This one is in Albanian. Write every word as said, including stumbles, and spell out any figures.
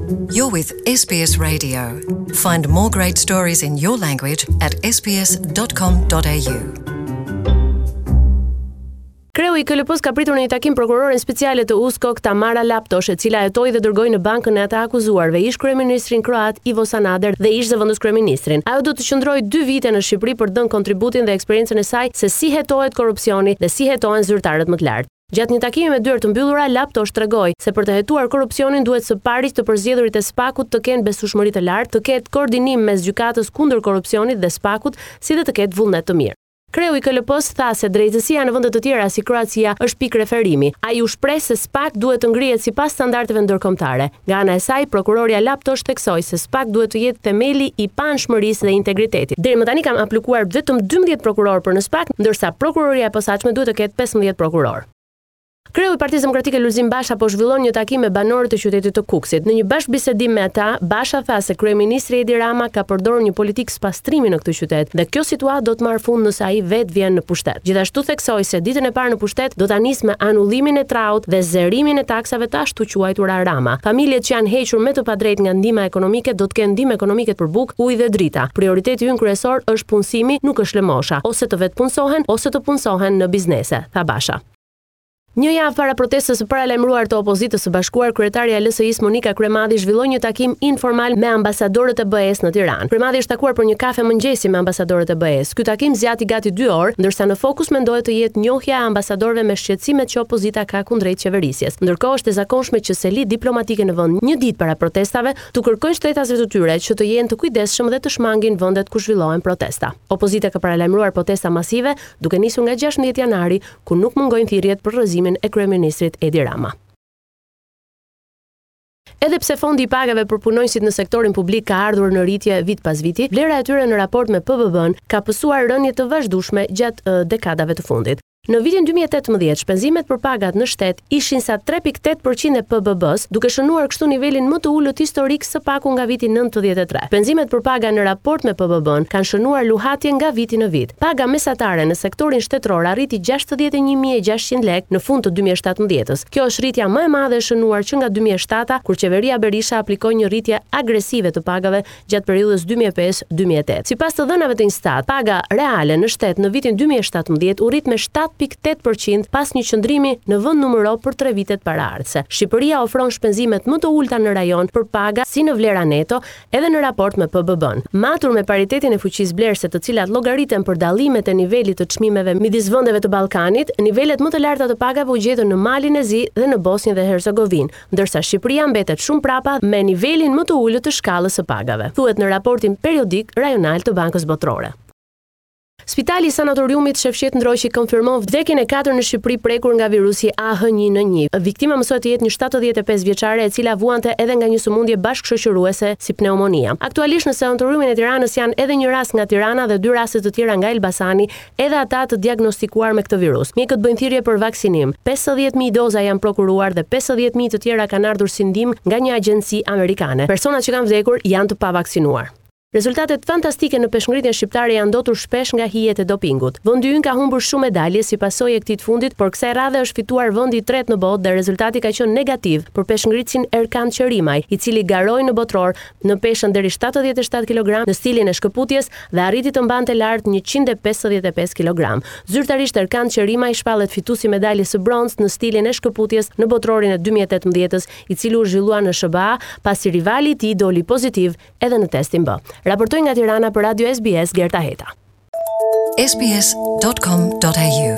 You're with S B S Radio. Find more great stories in your language at S B S dot com dot A U. Kreu i K L P-s ka pritur në një takim prokuroren speciale të USKOK Tamara Laptosh, e cila hetoi dhe dërgoi në bankën e të akuzuarve ish kryeministrin kroat Ivo Sanader dhe ish zëvendës kryeministrin. Ajo do të qëndrojë dy vite në Shqipëri për të dhënë kontributin dhe eksperiencën e saj se si hetohet korrupsioni dhe si hetohen zyrtarët më të lartë. Gjatë një takimi me dyer të mbyllura, Laptosh tregoi se për të hetuar korrupsionin duhet së pari të përzgjedhurit e SPAK-ut të kenë besueshmëri të lartë, të ketë koordinim mes gjykatës kundër korrupsionit dhe SPAK-ut, si dhe të ketë vullnet të mirë. Kreu i K L P-s tha se drejtësia në vende të tjera si Kroacia është pikë referimi. Ai u shpreh se SPAK duhet të ngrihet sipas standardeve ndërkombëtare. Nga ana e saj, prokuroria Laptosh theksoi se SPAK duhet të jetë themeli i paanshmërisë dhe integritetit. Deri më tani kanë aplikuar vetëm dymbëdhjetë prokurorë për në SPAK, ndërsa prokuroria e posaçme duhet të ketë pesëmbëdhjetë prokurorë. Kreu i Partisë Demokratike Lulzim Basha po zhvillon një takim me banorët e qytetit të Kukësit. Në një bashkëbisedim me ata, Basha tha se kryeministri Edi Rama ka përdorur një politikë spastrimi në këtë qytet dhe kjo situatë do të marrë fund nëse ai vetë vjen në pushtet. Gjithashtu theksoi se ditën e parë në pushtet do ta nisë me anullimin e traut dhe zerimin e taksave të ashtu quajtura Rama. Familjet që janë hequr me të padrejtë nga ndihma ekonomike do të kenë ndihmë ekonomike për bukë, ujë dhe drita. Prioriteti ynë kryesor është punësimi, nuk është lëmosha, ose të vetëpunësohen ose të punësohen në biznese, tha Basha. Një javë para protestës së paralajmëruar të opozitës së bashkuar, kryetarja e L S I-s Monika Kryemadhi zhvilloi një takim informal me ambasadorët e B E-s në Tiranë. Kryemadhi është takuar për një kafe mëngjesi me ambasadorët e B E-s. Ky takim zgjati gati dy orë, ndërsa në fokus mendohet të jetë njohja e ambasadorëve me shqetësimet që opozita ka kundrejt qeverisjes. Ndërkohë, është e zakonshme që selitë diplomatike në vend një ditë para protestave t'u kërkojnë shtetasve të tyre që të jenë të kujdesshëm dhe të shmangin vendet ku zhvillohen protesta. Opozita ka paralajmëruar protesta masive, duke nisur nga gjashtëmbëdhjetë janari, ku nuk mungojnë thirrjet për rrëzimin e kryeministrit Edi Rama. Edhe pse fondi i pagave për punonjësit në sektorin publik ka ardhur në rritje vit pas viti, vlera e tyre në raport me P B B-n ka pësuar rënie të vazhdueshme gjatë uh, dekadave të fundit. Në vitin dy mijë e tetëmbëdhjetë, shpenzimet për pagat në shtet ishin sa tre pikë tetë për qind e P B B-s, duke shënuar kështu nivelin më të ulët historik së paku nga viti nëntëdhjetë e tre. Shpenzimet për paga në raport me P B B-n kanë shënuar luhatje nga viti në vit. Paga mesatare në sektorin shtetëror arriti gjashtëdhjetë e një mijë e gjashtëqind lekë në fund të dy mijë e shtatëmbëdhjetës. Kjo është rritja më e madhe e shënuar që nga dy mijë e shtata, kur qeveria Berisha aplikoi një rritje agresive të pagave gjatë periudhës dy mijë e pesë-dy mijë e tetë. Sipas të dhënave të Instat, paga reale në shtet në vitin dy mijë e shtatëmbëdhjetë u rrit me shtatë pikë tetë për qind pas një qëndrimi në vend numëro për tre vitet paraardhëse. Shqipëria ofron shpenzimet më të ulta në rajon për paga si në vlera neto, edhe në raport me P B B-n. Matur me paritetin e fuqisë blerëse, të cilat llogariten për dallimet e nivelit të çmimeve midis vendeve të Ballkanit, nivelet më të larta të pagave u gjetën në Malin e Zi dhe në Bosnjë dhe Hercegovinë, ndërsa Shqipëria mbetet shumë prapa me nivelin më të ulët të shkallës së pagave. Thuhet në raportin periodik rajonal të Bankës Botërore. Spitali i Sanatoriumit Shefqet Ndroqi konfirmon vdekjen e katër në Shqipëri prekur nga virusi A H një N një. Viktima mësohet të jetë një shtatëdhjetë e pesë vjeçare, e cila vuante edhe nga një sëmundje bashkëshoqëruese si pneumonia. Aktualisht në sanatoriumin e Tiranës janë edhe një rast nga Tirana dhe dy raste të tjera nga Elbasani, edhe ata të diagnostikuar me këtë virus. Mjekët bëjnë thirrje për vaksinim. pesëdhjetë mijë doza janë prokuruar dhe pesëdhjetë mijë të tjera kanë ardhur si ndihmë nga një agjenci amerikane. Personat që kanë vdekur janë të pavaksinuar. Rezultatet fantastike në peshngritjen shqiptare janë ndotur shpesh nga hijet e dopingut. Vendi ynë ka humbur shumë medalje si pasojë e këtij të fundit, por kësaj radhe është fituar vendi i tretë në botë dhe rezultati ka qenë negativ për peshngritësin Erkan Qerimaj, i cili garoi në botëror në peshën deri shtatëdhjetë e shtatë kilogramë në stilin e shkëputjes dhe arriti të mbante lart njëqind e pesëdhjetë e pesë kilogramë. Zyrtarisht Erkan Qerimaj shpallet fituesi i medaljes së bronztë në stilin e shkëputjes në botërorin e dy mijë e tetëmbëdhjetës, i cili u zhvillua në S H B A, pasi rivali i tij doli pozitiv edhe në testin B. Raportoi nga Tirana për Radio S B S Gerta Heta. S B S dot com dot A U